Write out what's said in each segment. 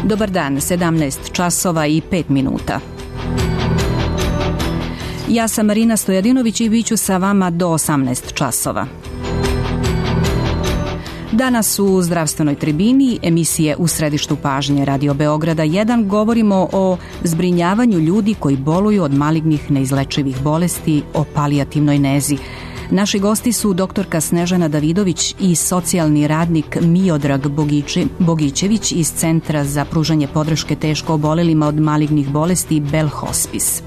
Dobar dan, 17 časova i 5 minuta. Ja sam Marina Stojadinović i bit ću sa vama do 18 časova. Danas u zdravstvenoj tribini emisije U središtu pažnje Radio Beograda 1 govorimo o zbrinjavanju ljudi koji boluju od malignih neizlečivih bolesti, o palijativnoj nezi. Naši gosti su doktorka Snežana Davidović i socijalni radnik Miodrag Bogićević iz Centra za pružanje podrške teško obolelima od malignih bolesti Bell Hospice.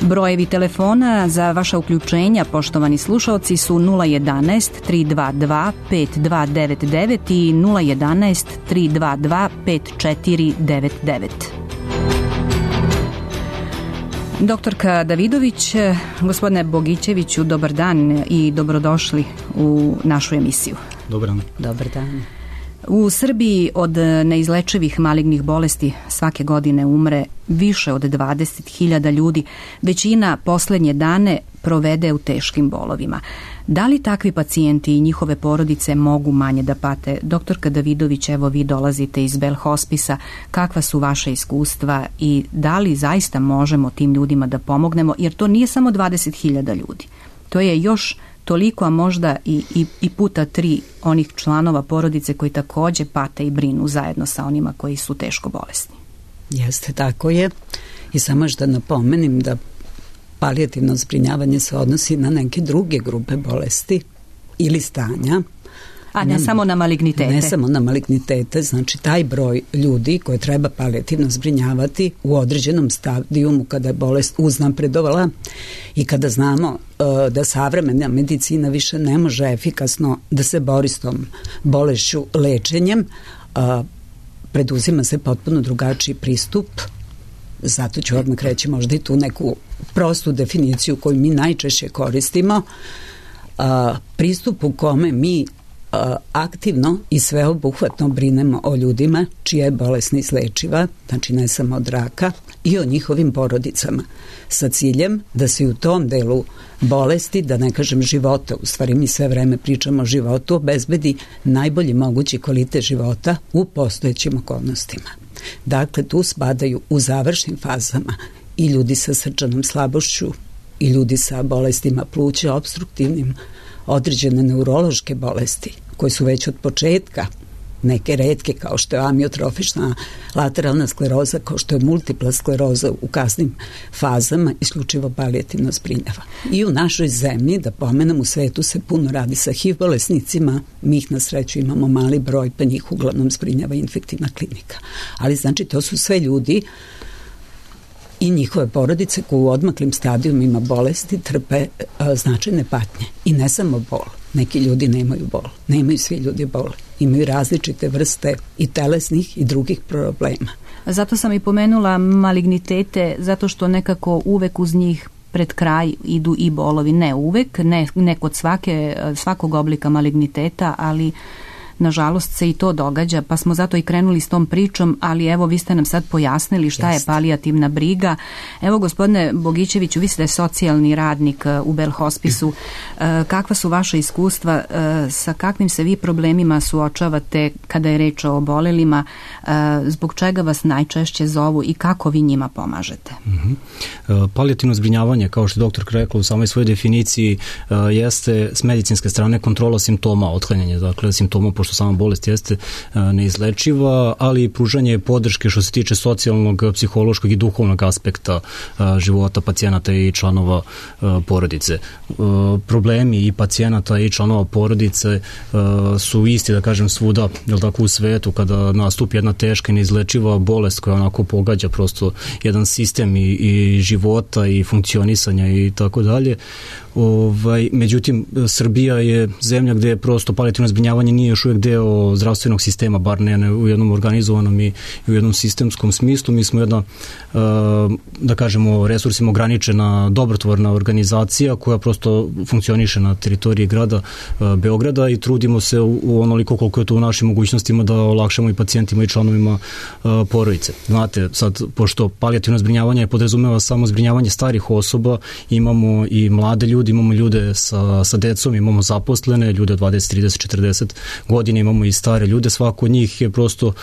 Brojevi telefona za vaša uključenja, poštovani slušaoci, su 011 322 5299 i 011 322 5499. Doktorka Davidović, gospodine Bogićeviću, dobar dan i dobrodošli u našu emisiju. Dobar dan. Dobar dan. U Srbiji od neizlečivih malignih bolesti svake godine umre više od 20.000 ljudi. Većina poslednje dane provede u teškim bolovima. Da li takvi pacijenti i njihove porodice mogu manje da pate? Doktorka Davidović, evo vi dolazite iz Bell Hospice-a. Kakva su vaše iskustva i da li zaista možemo tim ljudima da pomognemo? Jer to nije samo 20.000 ljudi. To je još toliko, a možda i puta 3 onih članova porodice koji takođe pate i brinu zajedno sa onima koji su teško bolesni. Jeste, tako je. I samo još da napomenim da palijativno zbrinjavanje se odnosi na neke druge grupe bolesti ili stanja. A ne samo na malignitete. Ne samo na malignitete, znači taj broj ljudi koje treba palijativno zbrinjavati u određenom stadijumu kada je bolest uznapredovala i kada znamo da savremena medicina više ne može efikasno da se bori s tom bolešću lečenjem, preduzima se potpuno drugačiji pristup. Zato ću odmah reći možda i tu neku prostu definiciju koju mi najčešće koristimo. Pristup u kome mi aktivno i sveobuhvatno brinemo o ljudima čija je bolest neizlečiva, znači ne samo od raka, i o njihovim porodicama, sa ciljem da se u tom delu bolesti, da ne kažem života, u stvari mi sve vreme pričamo o životu, obezbedi najbolji mogući kvalitet života u postojećim okolnostima. Dakle, tu spadaju u završnim fazama i ljudi sa srčanom slabošću i ljudi sa bolestima pluća, opstruktivnim, određene neurološke bolesti koje su već od početka neke retke kao što je amiotrofična lateralna skleroza, kao što je multipla skleroza u kasnim fazama, isključivo palijativno zbrinjava. I u našoj zemlji, da pomenem, u svetu se puno radi sa HIV bolesnicima, mi ih na sreću imamo mali broj, pa njih uglavnom zbrinjava infektivna klinika. Ali znači to su sve ljudi i njihove porodice koji u odmaklim stadijumima bolesti trpe značajne patnje. I ne samo bol. Neki ljudi nemaju bol. Nemaju svi ljudi bol. Imaju različite vrste i telesnih i drugih problema. Zato sam i pomenula malignitete, zato što nekako uvek uz njih pred kraj idu i bolovi. Ne uvek, ne kod svakog oblika maligniteta, ali nažalost se i to događa, pa smo zato i krenuli s tom pričom, ali evo vi ste nam sad pojasnili šta je palijativna briga. Evo, gospodine Bogićeviću, vi ste socijalni radnik u Bell Hospice-u. Kakva su vaša iskustva, sa kakvim se vi problemima suočavate kada je reč o obolelima, zbog čega vas najčešće zovu i kako vi njima pomažete? Palijativno zbrinjavanje, kao što je doktor rekla u samoj svojoj definiciji, jeste s medicinske strane kontrola simptoma, otklanjanje, dakle simptoma, pošto sama bolest jeste neizlečiva, ali i pružanje podrške što se tiče socijalnog, psihološkog i duhovnog aspekta života pacijenata i članova porodice. Problemi i pacijenata i članova porodice su isti, da kažem, svuda, jel tako, u svetu, kada nastupi jedna teška i neizlečiva bolest koja onako pogađa prosto jedan sistem i života i funkcionisanja i tako dalje. Međutim, Srbija je zemlja gde je prosto palijativno zbrinjavanje nije još uvijek deo zdravstvenog sistema, bar ne u jednom organizovanom i u jednom sistemskom smislu. Mi smo jedna, da kažemo, resursima ograničena dobrotvorna organizacija koja prosto funkcioniše na teritoriji grada Beograda i trudimo se u onoliko koliko je to u našim mogućnostima da olakšamo i pacijentima i članovima porodice. Znate, sad, pošto palijativno zbrinjavanje podrazumeva samo zbrinjavanje starih osoba, imamo i mlade ljude, imamo ljude sa decom, imamo zaposlene, ljude od 20, 30, 40 godine, imamo i stare ljude, svako od njih je prosto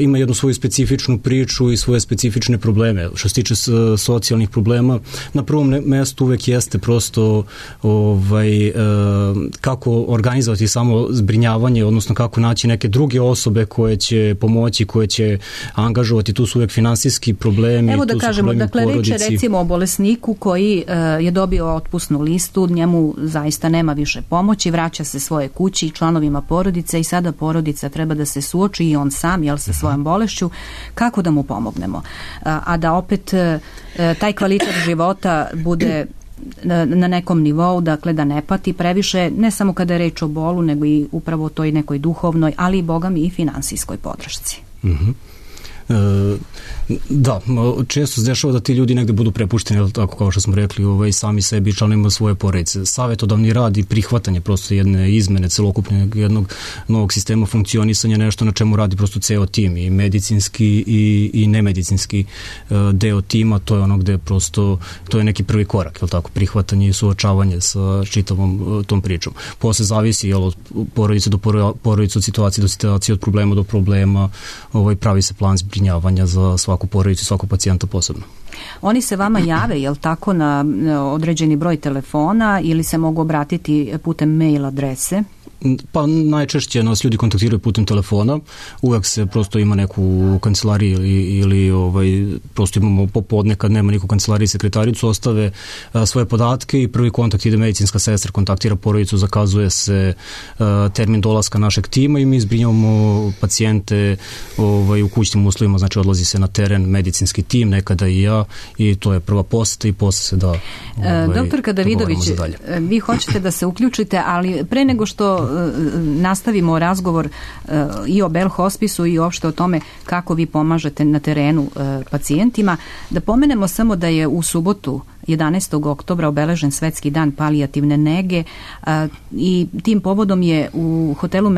ima jednu svoju specifičnu priču i svoje specifične probleme. Što se tiče socijalnih problema, na prvom mestu uvek jeste prosto kako organizovati samo zbrinjavanje, odnosno kako naći neke druge osobe koje će pomoći, koje će angažovati, tu su uvek finansijski problemi. Evo da kažemo, dakle reč je recimo o bolesniku koji je dobio otpusnu listu, njemu zaista nema više pomoći, vraća se svoje kući i članovima porodice i sada porodica treba da se suoči i on sam, sa svojom bolešću, kako da mu pomognemo. A da opet taj kvalitet života bude na nekom nivou, dakle da ne pati previše, ne samo kada je reč o bolu, nego i upravo toj nekoj duhovnoj, ali i bogami i finansijskoj podršci. Da, često se dešava da ti ljudi negde budu prepušteni, tako kao što smo rekli, sami sebi i članovima svoje porodice. Savetodavni rad i prihvatanje prosto jedne izmene celokupnog jednog novog sistema funkcionisanja, nešto na čemu radi prosto ceo tim, i medicinski i nemedicinski deo tima, to je ono gde prosto, to je neki prvi korak, je li tako, prihvatanje i suočavanje sa čitavom tom pričom. Posle zavisi od porodice do porodice, od situacije do situacije, od problema do problema, pravi se plan zbrinjavanja za svaku porodicu i svakog pacijenta posebno. Oni se vama jave, je li tako, na određeni broj telefona ili se mogu obratiti putem mail adrese? Pa najčešće nas ljudi kontaktiraju putem telefona, uvek se prosto ima neku kancelariju ili prosto imamo popodne kad nema niku kancelariju i sekretaricu, ostave svoje podatke i prvi kontakt ide medicinska sestra, kontaktira porodicu, zakazuje se termin dolaska našeg tima i mi zbrinjavamo pacijente u kućnim uslovima, znači odlazi se na teren medicinski tim, nekada i ja, i to je prva poseta i posle se da Doktorka Davidović, vi hoćete da se uključite, ali pre nego što nastavimo razgovor i o Bell Hospisu i uopšte o tome kako vi pomažete na terenu pacijentima, da pomenemo samo da je u subotu 11. oktobra obeležen Svetski dan palijativne nege i tim povodom je u hotelu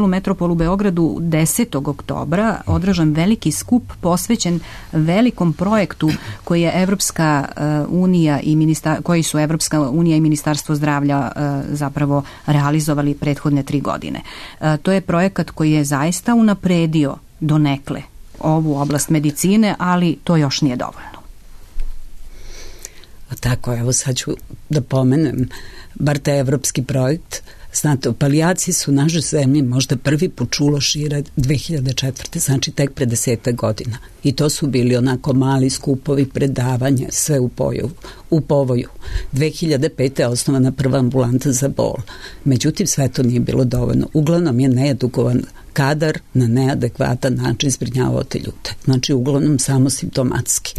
Metropol u Beogradu 10. oktobra održan veliki skup posvećen velikom projektu koji je Evropska unija i Ministarstvo zdravlja zapravo realizovali prethodne 3 godine. To je projekat koji je zaista unapredio donekle ovu oblast medicine, ali to još nije dovoljno. Tako, evo sad ću da pomenem bar taj evropski projekt. Znate, o palijaciji su u našoj zemlji možda prvi put čulo šire 2004. Znači tek pre 10 godina. I to su bili onako mali skupovi, predavanja, sve u povoju. 2005. je osnovana prva ambulanta za bol. Međutim, sve to nije bilo dovoljno. Uglavnom je needukovan kadar na neadekvatan način zbrinjavao te ljude. Znači, uglavnom samo simptomatski.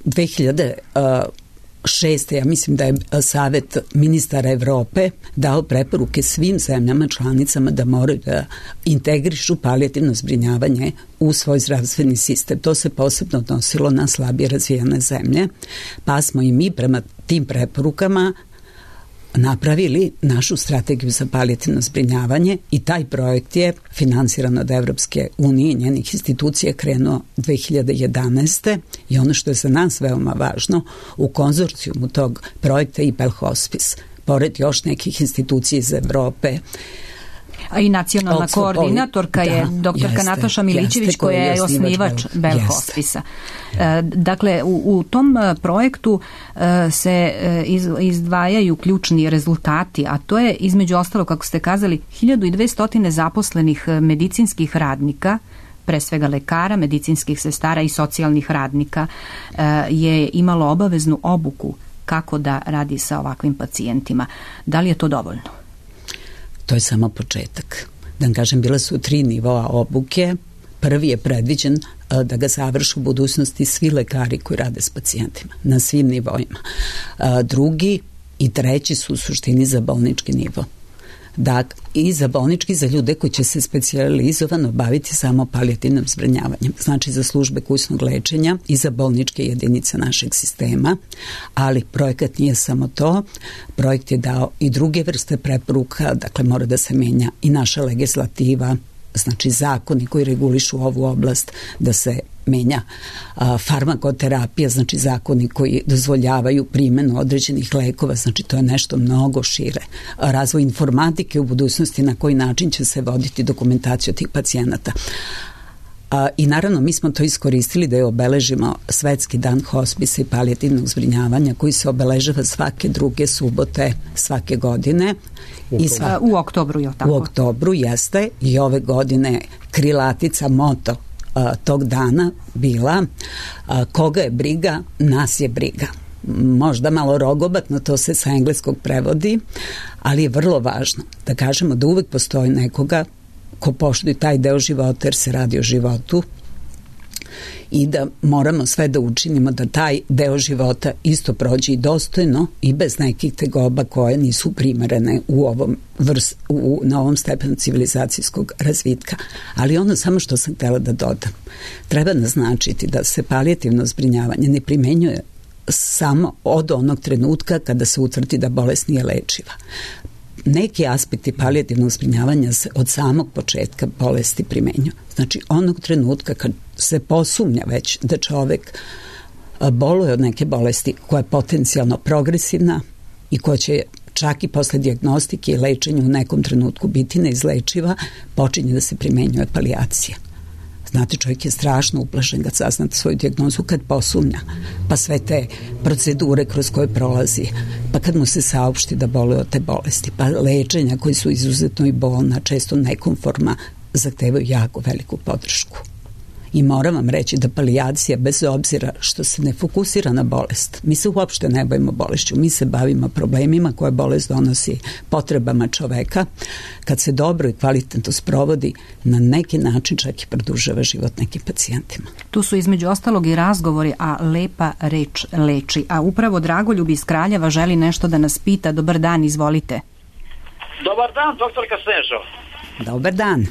2006. ja mislim da je Savet ministara Evrope dao preporuke svim zemljama članicama da moraju da integrišu palijativno zbrinjavanje u svoj zdravstveni sistem. To se posebno odnosilo na slabije razvijene zemlje, pa smo i mi prema tim preporukama napravili našu strategiju za palijativno zbrinjavanje i taj projekt je finansiran od Evropske unije i njenih institucija krenuo 2011. I ono što je za nas veoma važno, u konzorcijumu tog projekta i Bell Hospice, pored još nekih institucija iz Evrope, a i nacionalna koordinatorka je doktorka Nataša Milićević koja je osnivač Bell Hospice-a. Dakle, u tom projektu se izdvajaju ključni rezultati, a to je između ostalo, kako ste kazali, 1200 zaposlenih medicinskih radnika, pre svega lekara, medicinskih sestara i socijalnih radnika, je imalo obaveznu obuku kako da radi sa ovakvim pacijentima. Da li je to dovoljno? To je samo početak. Da vam kažem, bile su 3 nivoa obuke. Prvi je predviđen da ga završu u budućnosti svi lekari koji rade s pacijentima na svim nivoima. Drugi i treći su u suštini za bolnički nivo. Dakle, i za bolnički, za ljude koji će se specijalizovano baviti samo palijativnim zbrinjavanjem, znači za službe kućnog lečenja i za bolničke jedinice našeg sistema, ali projekat nije samo to, projekt je dao i druge vrste preporuka, dakle mora da se menja i naša legislativa, znači zakoni koji regulišu ovu oblast, da se menja farmakoterapija, znači zakoni koji dozvoljavaju primjenu određenih lekova, znači to je nešto mnogo šire. Razvoj informatike u budućnosti, na koji način će se voditi dokumentaciju tih pacijenata. I naravno mi smo to iskoristili da je obeležimo Svetski dan hospisa i palijativnog zbrinjavanja koji se obeležava svake druge subote svake godine. U oktobru, je li tako? U oktobru jeste, i ove godine krilatica, moto tog dana bila koga je briga, nas je briga. Možda malo rogobatno, to se sa engleskog prevodi, ali je vrlo važno da kažemo da uvek postoji nekoga ko poštuje taj deo života, jer se radi o životu, i da moramo sve da učinimo da taj deo života isto prođe i dostojno i bez nekih tegoba koje nisu primerene na ovom stepenu civilizacijskog razvitka. Ali ono samo što sam htjela da dodam, treba naznačiti da se palijativno zbrinjavanje ne primenjuje samo od onog trenutka kada se utvrdi da bolest nije lečiva. Neki aspekti palijativnog zbrinjavanja se od samog početka bolesti primenjuju. Znači onog trenutka kad se posumnja već da čovek boluje od neke bolesti koja je potencijalno progresivna i koja će čak i posle dijagnostike i lečenja u nekom trenutku biti neizlečiva, počinje da se primenjuje palijacija. Znate, čovjek je strašno uplašen kad sazna svoju dijagnozu, kad posumnja, pa sve te procedure kroz koje prolazi, pa kad mu se saopšti da boluje od te bolesti, pa lečenja koji su izuzetno i bolna, često nekonforma, zahtevaju jako veliku podršku. I moram vam reći da palijacija, bez obzira što se ne fokusira na bolest, mi se uopšte ne bavimo bolešću, mi se bavimo problemima koje bolest donosi, potrebama čoveka, kad se dobro i kvalitetno sprovodi, na neki način čak i produžava život nekim pacijentima. Tu su između ostalog i razgovori, a lepa reč leči. A upravo Dragoljub iz Kraljeva želi nešto da nas pita. Dobar dan, izvolite. Dobar dan, doktorka Snežo. Dobar dan.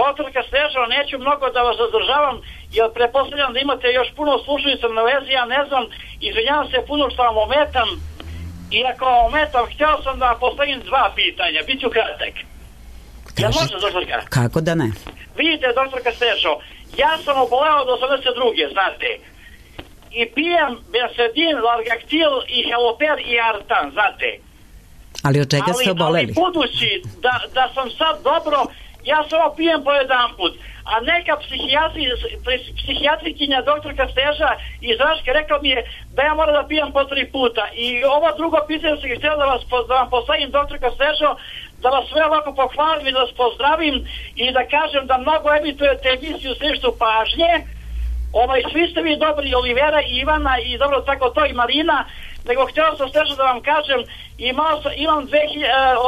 Doktorka Snežo, neću mnogo da vas zadržavam, jer pretpostavljam da imate još puno slušajuća na vezi, ja ne znam, izvinjavam se puno što vam ometam, i ako vam ometam, htio sam da vam postavim dva pitanja, bit ću kratak. Ja možem, doktorka? Kako da ne? Vidite, doktorka Snežo, ja sam oboleo od 82. znate, i pijem Bensedin, Largactil i Heloper i Artan, znate. Ali od čega ste oboleli? Ali budući da sam sad dobro, ja samo pijem po jedan put, a neka psihijatrikinja doktorka Steža iz Raške rekla mi je da ja moram da pijem po 3 puta. I ovo drugo pitanje sam htjela da vam postavim, doktorka Stežo, da vas sve ovako pohvalim i da vas pozdravim i da kažem da mnogo emitujete emisiju Središtu pažnje. Svi ste vi dobri, Olivera i Ivana i dobro tako to i Marina, nego htjela sam Stežo da vam kažem,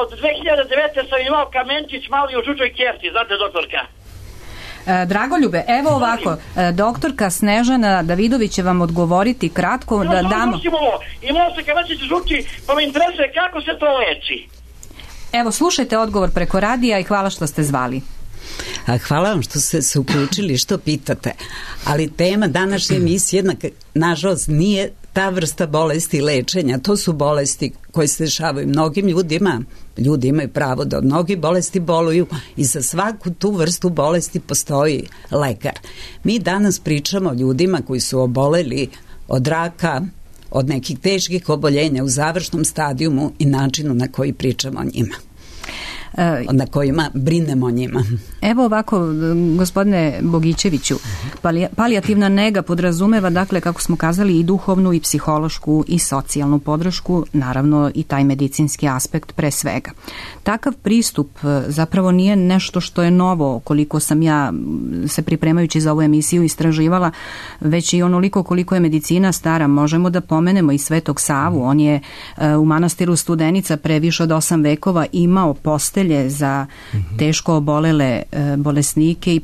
od 2009. sam imao kamenčić mali u žučoj kjerti, znate doktorka. Dragoljube, evo ovako, doktorka Snežana Davidović će vam odgovoriti kratko da damo... Imao se kamenčić u žuči, pa me interesuje kako se to leči. Evo, slušajte odgovor preko radija i hvala što ste zvali. Hvala vam što ste se uključili, što pitate. Ali tema današnje emisije nažalost nije ta vrsta bolesti lečenja. To su bolesti koje se dešavaju mnogim ljudima. Ljudi imaju pravo da od mnogih bolesti boluju i za svaku tu vrstu bolesti postoji lekar. Mi danas pričamo o ljudima koji su oboleli od raka, od nekih teških oboljenja u završnom stadijumu i načinu na koji pričamo o njima, na kojima brinemo o njima. Evo ovako, gospodine Bogićeviću, palijativna nega podrazumeva, dakle, kako smo kazali, i duhovnu i psihološku i socijalnu podršku, naravno i taj medicinski aspekt pre svega. Takav pristup zapravo nije nešto što je novo, koliko sam ja se pripremajući za ovu emisiju istraživala, već i onoliko koliko je medicina stara. Možemo da pomenemo i Svetog Savu. On je u manastiru Studenica pre više od 8 vekova imao postelje za teško obolele bolesnike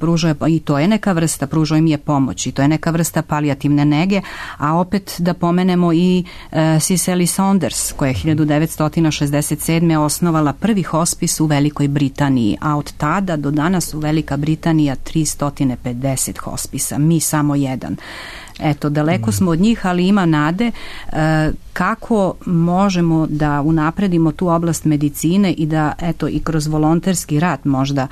i to je neka vrsta, pružao im je pomoć i to je neka vrsta palijativne nege, a opet da pomenemo i Cicely Saunders koja je 1967. osnovala prvi hospis u Velikoj Britaniji, a od tada do danas u Velika Britanija 350 hospisa, mi samo jedan. Eto, daleko smo od njih, ali ima nade. Kako možemo da unapredimo tu oblast medicine i da, eto, i kroz volonterski rad možda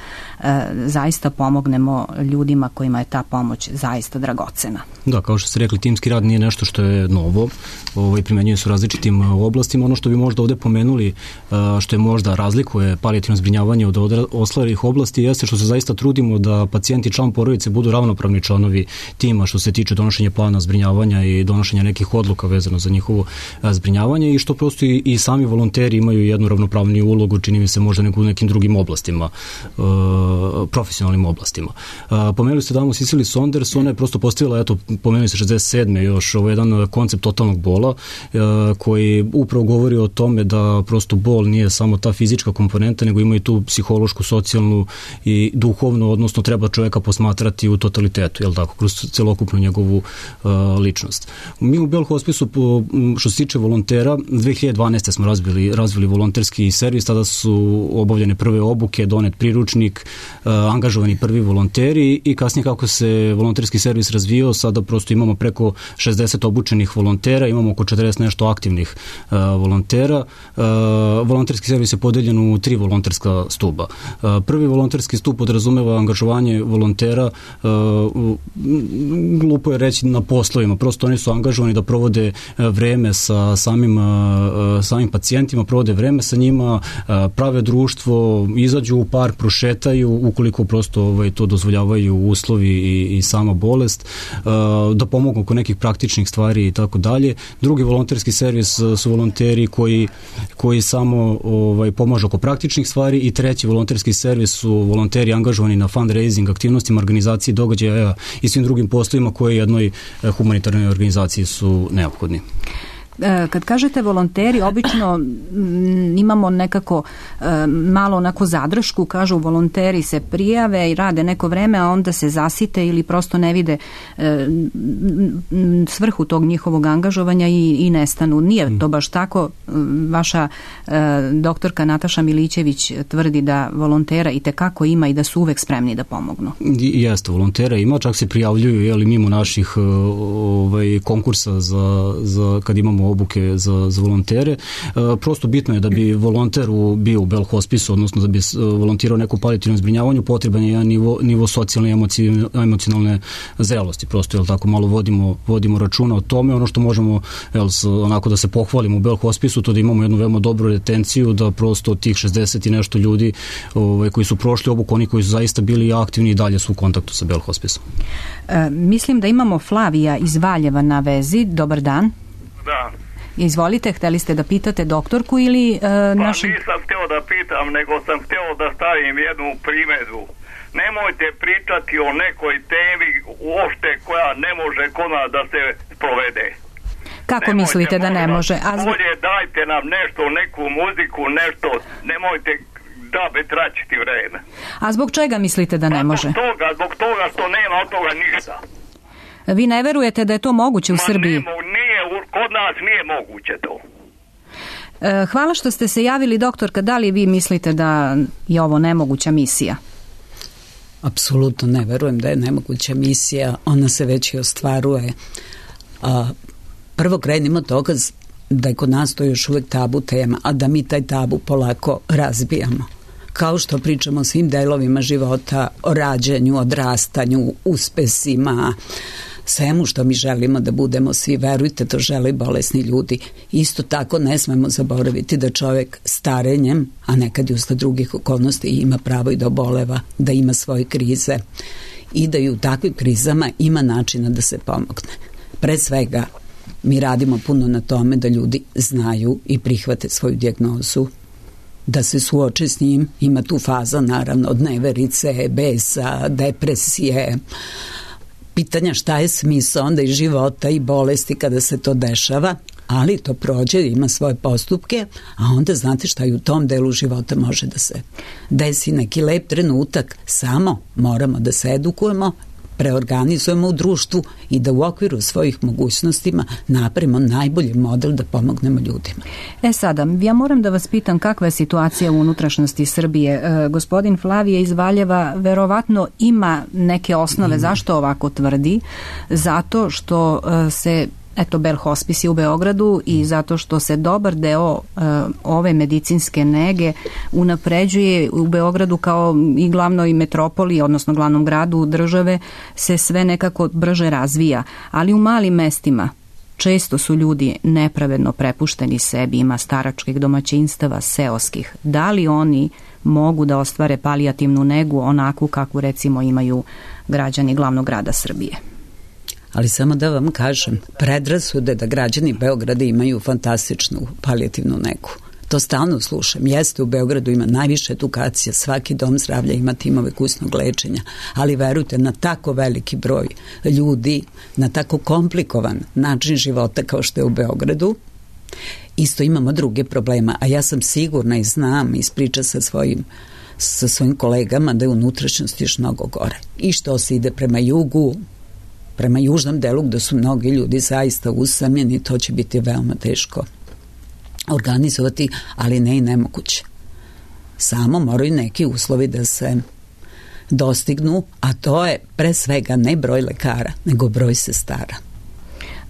zaista pomognemo ljudima kojima je ta pomoć zaista dragocena? Da, kao što ste rekli, timski rad nije nešto što je novo, primenjuje se u različitim oblastima. Ono što bi možda ovde pomenuli, što je možda razlikuje palijativno zbrinjavanje od ostalih oblasti, jeste što se zaista trudimo da pacijenti i član porodice budu ravnopravni članovi tima što se tiče donošenja plana zbrinjavanja i donošenja nekih odluka vezano za njihovo zbrinjavanje i što prosto i sami volonteri imaju jednu ravnopravniju ulogu, čini mi se možda u nekim drugim oblastima, profesionalnim oblastima. Pomenuli ste damu Cicely Saunders, ona je prosto postavila, eto, pomenuli se 67. još jedan koncept totalnog bola koji upravo govori o tome da prosto bol nije samo ta fizička komponenta, nego ima i tu psihološku, socijalnu i duhovnu, odnosno treba čovjeka posmatrati u totalitetu, jel tako, kroz celokupnu njegovu ličnost. Mi u Bell Hospisu, što se tiče volontera, 2012. smo razvili volonterski servis, tada su obavljene prve obuke, donet priručnik, angažovani prvi volonteri i kasnije kako se volonterski servis razvijao, sada prosto imamo preko 60 obučenih volontera, imamo oko 40 nešto aktivnih volontera. Volonterski servis je podeljen u 3 volonterska stuba. Prvi volonterski stup podrazumeva angažovanje volontera, glupo je reći na poslovima, prosto oni su angažovani da provode vreme sa samim pacijentima, provode vreme sa njima, prave društvo, izađu u park, prošetaju, ukoliko prosto to dozvoljavaju uslovi i sama bolest, da pomogu oko nekih praktičnih stvari i tako dalje. Drugi volonterski servis su volonteri koji samo pomažu oko praktičnih stvari i treći volonterski servis su volonteri angažovani na fundraising aktivnostima, organizaciji događaja i svim drugim poslovima koje jednoj humanitarnoj organizaciji su neophodni. Kad kažete volonteri, obično imamo nekako malo onako zadršku, kažu volonteri se prijave i rade neko vreme, a onda se zasite ili prosto ne vide svrhu tog njihovog angažovanja i nestanu. Nije to baš tako. Vaša doktorka Nataša Milićević tvrdi da volontera i tekako ima i da su uvek spremni da pomognu. Jeste, volontera ima, čak se prijavljuju mimo naših konkursa za kad imamo obuke za volontere. Prosto bitno je da bi volonter bio u Bell Hospisu, odnosno da bi volontirao neku palijativnom zbrinjavanju, potreban je jedan nivo socijalne i emocionalne zrelosti. Prosto, jel tako, malo vodimo računa o tome. Ono što možemo, onako da se pohvalimo u Bell Hospisu, to da imamo jednu veoma dobru retenciju, da prosto tih 60 i nešto ljudi koji su prošli obuku, oni koji su zaista bili aktivni i dalje su u kontaktu sa Bell Hospisom. Mislim da imamo Flavija iz Valjeva na vezi. Dobar dan. Da. Izvolite, hteli ste da pitate doktorku ili nisam htio da pitam, nego sam htio da stavim jednu primjedbu. Nemojte pričati o nekoj temi uopšte koja ne može kod nas da se sprovede. Kako mislite da ne može? Bolje dajte nam nešto, neku muziku, nešto, nemojte traćiti vreme. A zbog čega mislite da ne može? Zbog toga što nema od toga ništa. Vi ne verujete da je to moguće u Srbiji? Kod nas nije moguće to. Hvala što ste se javili, doktorka. Da li vi mislite da je ovo nemoguća misija? Apsolutno ne verujem da je nemoguća misija. Ona se već i ostvaruje. Prvo krenimo od toga da je kod nas to još uvek tabu tema, a da mi taj tabu polako razbijamo. Kao što pričamo o svim delovima života, o rađanju, odrastanju, uspesima, svemu što mi želimo da budemo svi, verujte, to žele bolesni ljudi. Isto tako ne smemo zaboraviti da čovjek starenjem, a nekad i usled drugih okolnosti, ima pravo i da oboleva, da ima svoje krize i da i u takvim krizama ima načina da se pomogne. Pre svega, mi radimo puno na tome da ljudi znaju i prihvate svoju dijagnozu, da se suoče s njim. Ima tu faza, naravno, od neverice, besa, depresije, pitanja šta je smisao onda i života i bolesti kada se to dešava, ali to prođe, ima svoje postupke, a onda znate šta i u tom delu života može da se desi neki lep trenutak, samo moramo da se edukujemo, preorganizujemo u društvu i da u okviru svojih mogućnostima napravimo najbolji model da pomognemo ljudima. Sada, ja moram da vas pitam kakva je situacija u unutrašnjosti Srbije. Gospodin Flavije iz Valjeva verovatno ima neke osnove zašto ovako tvrdi, zato što se Bell Hospice u Beogradu i zato što se dobar deo ove medicinske nege unapređuje u Beogradu kao i glavnoj metropoli, odnosno glavnom gradu države, se sve nekako brže razvija. Ali u malim mestima često su ljudi nepravedno prepušteni sebi, ima staračkih domaćinstava, seoskih. Da li oni mogu da ostvare palijativnu negu onakvu kakvu recimo imaju građani glavnog grada Srbije? Ali samo da vam kažem, predrasude da građani Beograda imaju fantastičnu palijativnu negu. To stalno slušam. Jeste, u Beogradu ima najviše edukacija, svaki dom zdravlja ima timove kućnog lečenja, ali verujte, na tako veliki broj ljudi, na tako komplikovan način života kao što je u Beogradu, isto imamo druge problema, a ja sam sigurna i znam iz priča sa svojim kolegama da je unutrašnjost još mnogo gore. I što se ide prema jugu, prema južnom delu gde su mnogi ljudi zaista usamljeni, to će biti veoma teško organizovati, ali ne i nemoguće. Samo moraju neki uslovi da se dostignu, a to je pre svega ne broj lekara, nego broj sestara.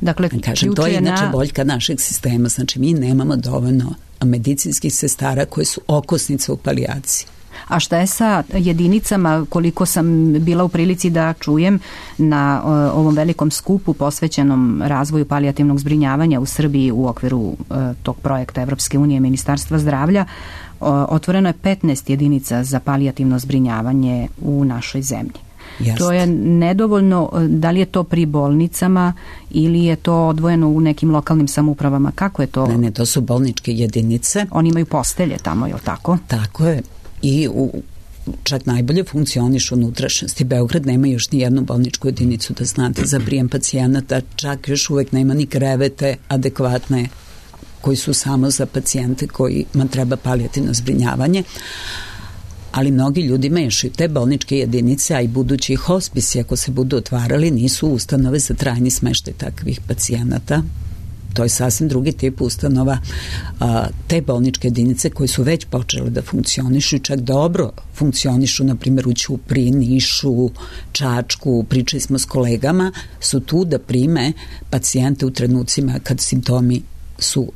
Dakle, kažem, to je inače boljka našeg sistema, znači mi nemamo dovoljno medicinskih sestara koje su okosnice u palijaciji. A šta je sa jedinicama, koliko sam bila u prilici da čujem na ovom velikom skupu posvećenom razvoju palijativnog zbrinjavanja u Srbiji u okviru tog projekta Evropske unije Ministarstva zdravlja, otvoreno je 15 jedinica za palijativno zbrinjavanje u našoj zemlji. Jeste. To je nedovoljno, da li je to pri bolnicama ili je to odvojeno u nekim lokalnim samoupravama? Kako je to? Ne, to su bolničke jedinice. Oni imaju postelje tamo, je li tako? Tako je. I čak najbolje funkcioniš u unutrašnjosti. Beograd nema još ni jednu bolničku jedinicu, da znate, za prijem pacijenata, čak još uvek nema ni krevete adekvatne koji su samo za pacijente kojima treba palijativno zbrinjavanje. Ali mnogi ljudi mešaju te bolničke jedinice, a i budući hospisi, ako se budu otvarali, nisu ustanove za trajni smeštaj takvih pacijenata. To je sasvim drugi tip ustanova. Te bolničke jedinice koje su već počele da funkcionišu i čak dobro funkcionišu, na primjer u Ćupriji, Nišu, Čačku, pričali smo s kolegama, su tu da prime pacijente u trenucima kad simptomi su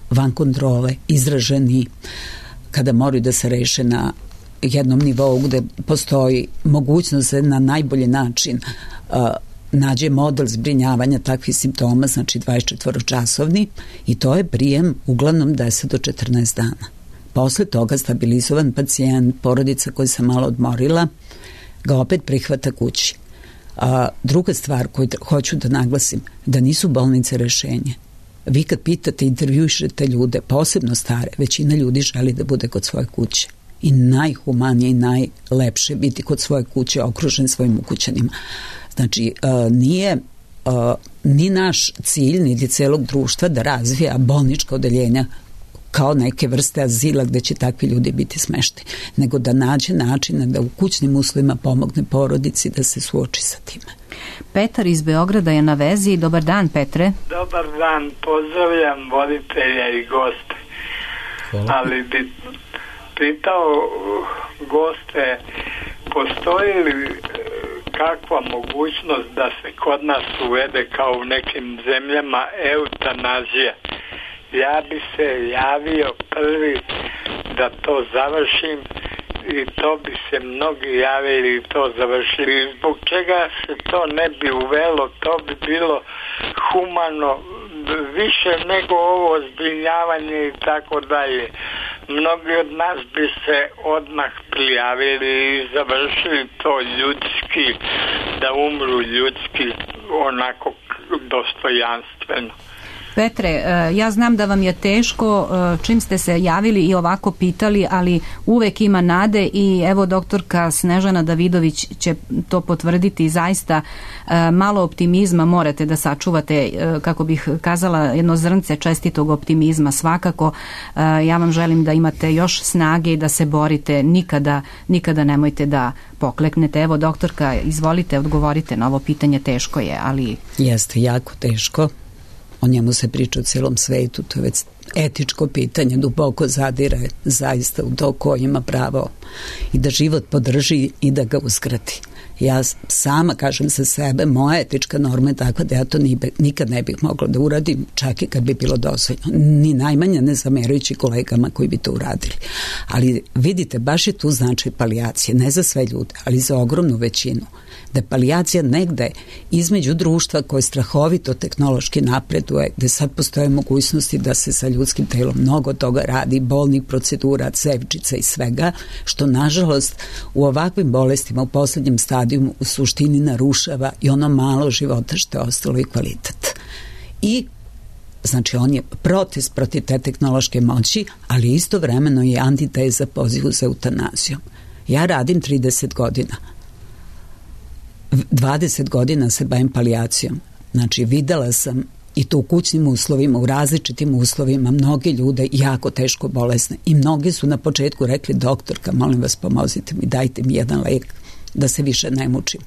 van kontrole, izraženi, kada moraju da se reše na jednom nivou gde postoji mogućnost da na najbolji način nađe model zbrinjavanja takvih simptoma, znači 24-časovni, i to je prijem uglavnom 10 do 14 dana. Posle toga stabilizovan pacijent, porodica koja se malo odmorila, ga opet prihvata kući. Druga stvar koju hoću da naglasim, da nisu bolnice rešenje. Vi kad pitate, intervjušete ljude, posebno stare, većina ljudi želi da bude kod svoje kuće. I najhumanije i najlepše biti kod svoje kuće, okružen svojim ukućanima. Znači, nije ni naš cilj, niti celog društva da razvija bolnička odeljenja kao neke vrste azila gde će takvi ljudi biti smešteni, nego da nađe načina da u kućnim uslovima pomogne porodici da se suoči sa time. Petar iz Beograda je na vezi. Dobar dan, Petre. Dobar dan, pozdravljam voditelja i goste. Hvala. Ali bi pitao goste, postoji li kakva mogućnost da se kod nas uvede kao u nekim zemljama eutanazija? Ja bi se javio prvi da to završim i to bi se mnogi javili i to završili. Zbog čega se to ne bi uvelo? To bi bilo humano više nego ovo zbrinjavanje i tako dalje. Mnogi od nas bi se odmah prijavili i završili to ljudski, da umru ljudski, onako dostojanstveno. Petre, ja znam da vam je teško čim ste se javili i ovako pitali, ali uvek ima nade i evo doktorka Snežana Davidović će to potvrditi. Zaista malo optimizma morate da sačuvate, kako bih kazala, jedno zrnce čestitog optimizma svakako. Ja vam želim da imate još snage i da se borite. Nikada nemojte da pokleknete. Evo doktorka, izvolite, odgovorite na ovo pitanje. Teško je, ali... Jeste jako teško. O njemu se priča u cijelom svetu, to je već etičko pitanje, duboko zadire zaista u to ko ima pravo i da život podrži i da ga uskrati. Ja sama kažem za sebe, moja etička norma je takva da ja to nikad ne bih mogla da uradim, čak i kad bi bilo dozvoljeno. Ni najmanje ne zamerajući kolegama koji bi to uradili. Ali vidite, baš je tu značaj palijacije, ne za sve ljude, ali za ogromnu većinu. Da je palijacija negde između društva koje strahovito tehnološki napreduje, gde sad postoje mogućnosti da se sa ljudskim telom mnogo toga radi, bolnih procedura, cevčica i svega, što nažalost u ovakvim bolestima u poslednjem stadijumu u suštini narušava i ono malo života što je ostalo i kvalitet. I znači on je protest protiv te tehnološke moći, ali istovremeno je antiteza pozivu za eutanazijom. Ja radim 30 godina. 20 godina se bavim palijacijom. Znači videla sam i to u kućnim uslovima, u različitim uslovima, mnoge ljude jako teško bolesne i mnogi su na početku rekli, doktorka, molim vas pomozite mi, dajte mi jedan lek da se više ne mučim.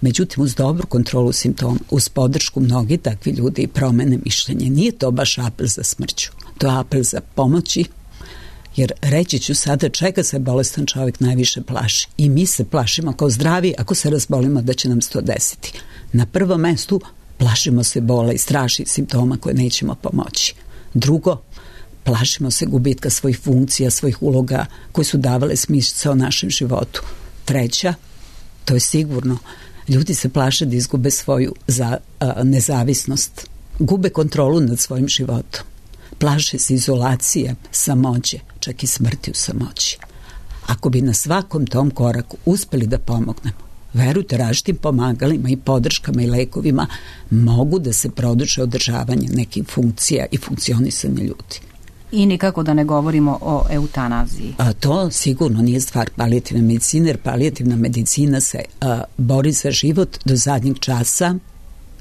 Međutim, uz dobru kontrolu simptoma, uz podršku mnogi takvi ljudi i promene mišljenja, nije to baš apel za smrću, to je apel za pomoći. Jer reći ću sada čega se bolestan čovjek najviše plaši. I mi se plašimo kao zdravi ako se razbolimo da će nam se to desiti. Na prvom mestu plašimo se bola i strašnih simptoma koje nećemo pomoći. Drugo, plašimo se gubitka svojih funkcija, svojih uloga koje su davale smisao našem životu. Treća, to je sigurno, ljudi se plaše da izgube svoju nezavisnost, gube kontrolu nad svojim životom. Plaše se izolacije, samoće, čak i smrti u samoći. Ako bi na svakom tom koraku uspeli da pomognemo, verujte, različitim pomagalima i podrškama i lekovima mogu da se produže održavanje nekih funkcija i funkcionisanja ljudi. I nikako da ne govorimo o eutanaziji. To sigurno nije stvar palijativne medicine, jer palijativna medicina se bori za život do zadnjeg časa.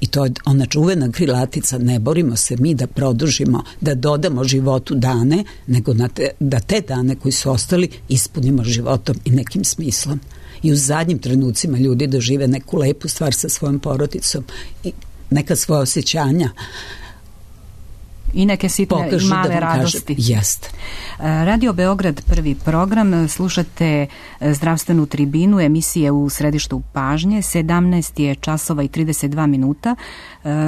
I to je ona čuvena krilatica, ne borimo se mi da produžimo, da dodamo životu dane, nego da te dane koji su ostali ispunimo životom i nekim smislom. I u zadnjim trenucima ljudi dožive neku lepu stvar sa svojom porodicom i neka svoja osjećanja i neke sitne i male radosti. Jeste. Radio Beograd, prvi program, slušate zdravstvenu tribinu emisije u središtu pažnje. 17 je časova i 32 minuta.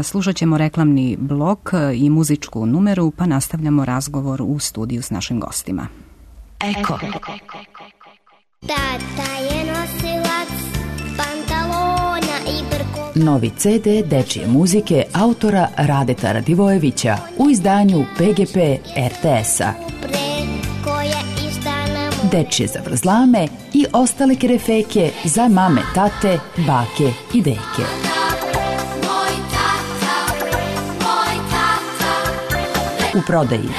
Slušat ćemo reklamni blok i muzičku numeru, pa nastavljamo razgovor u studiju s našim gostima. Eko. Tata je nosilac pantalona i brko. Novi CD dečije muzike autora Radeta Radivojevića u izdanju PGP RTS-a. Dečije zavrzlame i ostale kerefeke za mame, tate, bake i deke. U prodaji.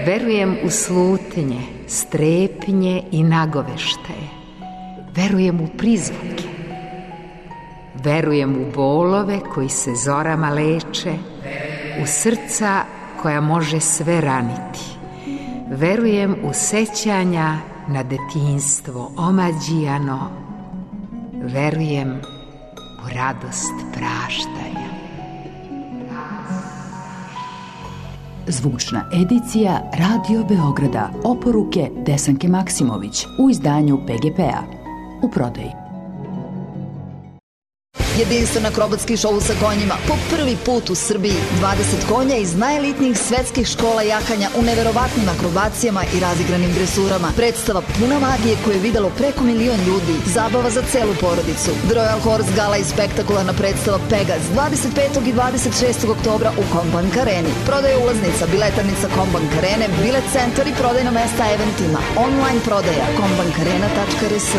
Verujem u slutnje, strepnje i nagoveštaje. Verujem u prizvuke. Verujem u bolove koji se zorama leče, u srca koja može sve raniti. Verujem u sećanja na detinjstvo omađijano. Verujem u radost praštanja. Zvučna edicija Radio Beograda, oporuke Desanke Maksimović u izdanju PGP-a. U prodaji. Jedinstven akrobatski šou sa konjima po prvi put u Srbiji. 20 konja iz najelitnijih svetskih škola jakanja u neverovatnim akrobacijama i razigranim dresurama. Predstava puna magije koju je videlo preko 1 milion ljudi. Zabava za celu porodicu. The Royal Horse Gala i spektakularna predstava Pegas 25. i 26. oktobra u Kombank Areni. Prodaja ulaznica, biletarnica Kombank Arene, bilet centar i prodajna mesta eventima. Online prodaja kombankarena.rs.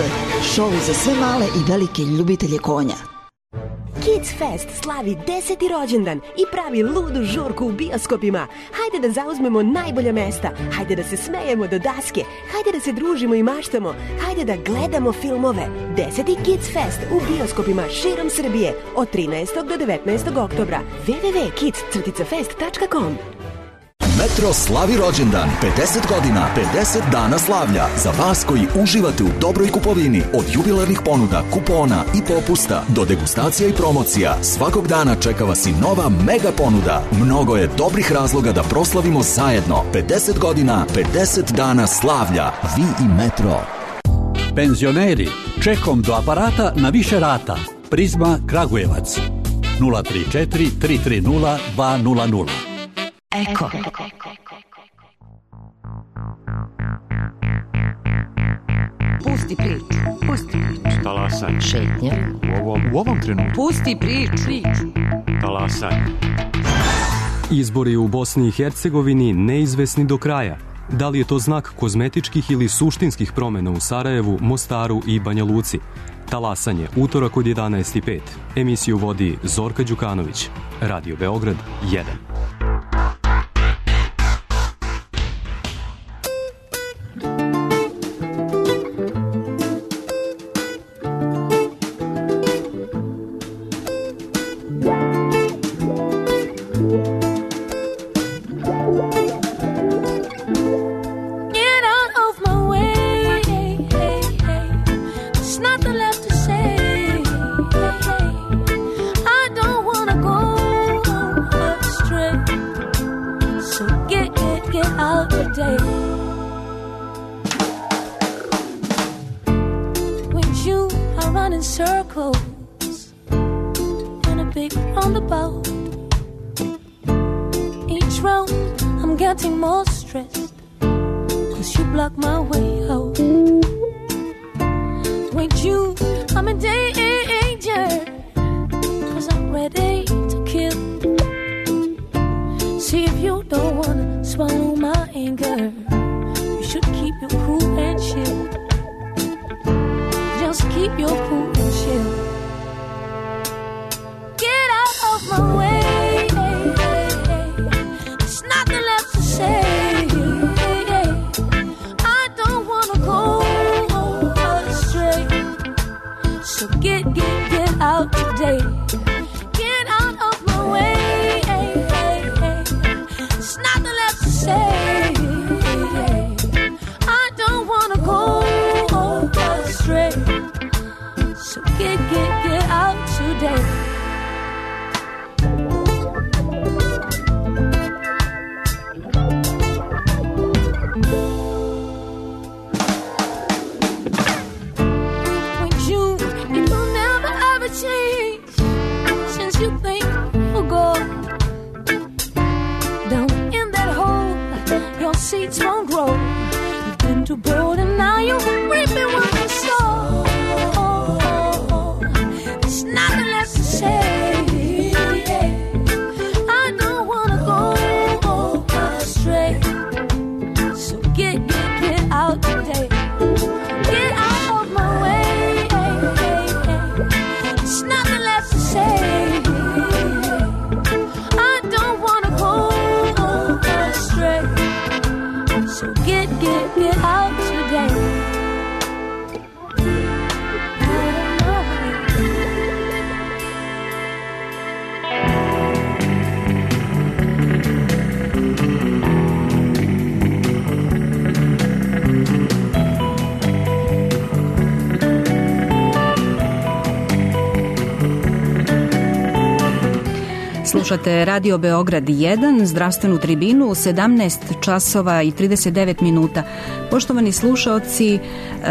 Šou za sve male i velike ljubitelje konja. Kids Fest slavi 10. rođendan i pravi ludu žurku u bioskopima. Hajde da zauzmemo najbolja mesta, hajde da se smejemo do daske, hajde da se družimo i maštamo, hajde da gledamo filmove. 10. Kids Fest u bioskopima širom Srbije od 13. do 19. oktobra. www.kids-fest.com. Metro slavi rođendan, 50 godina, 50 dana slavlja. Za vas koji uživate u dobroj kupovini, od jubilarnih ponuda, kupona i popusta do degustacija i promocija, svakog dana čeka vas i nova mega ponuda. Mnogo je dobrih razloga da proslavimo zajedno. 50 godina, 50 dana slavlja. Vi i Metro. Penzioneri, čekom do aparata na više rata. Prizma Kragujevac 034 330 200. Eko. Pusti priču. Talasanje. Šetnja. U ovom trenutku. Pusti priču. Talasanje. Izbori u Bosni i Hercegovini neizvesni do kraja. Da li je to znak kozmetičkih ili suštinskih promena u Sarajevu, Mostaru i Banja Luci? Talasanje, utorak od 11:05. Emisiju vodi Zorka Đukanović. Radio Beograd 1. Slušate Radio Beograd 1, zdravstvenu tribinu, 17 časova i 39 minuta. Poštovani slušaoci,